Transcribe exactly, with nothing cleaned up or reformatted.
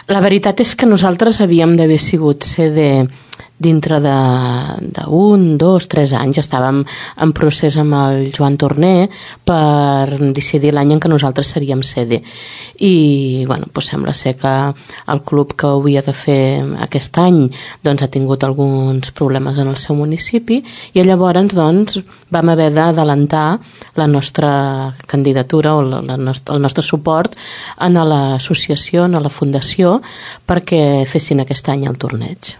La veritat és que nosaltres havíem d'haver sigut sede dintre d'un, dos, tres anys. Estàvem en procés amb el Joan Torner per decidir l'any en què nosaltres seríem sede. I bueno, doncs sembla ser que el club que ho havia de fer aquest any doncs, ha tingut alguns problemes en el seu municipi i llavors doncs, vam haver d'adelantar la nostra candidatura o la, la nostra, el nostre suport a l'associació, a la fundació, perquè fessin aquest any el torneig.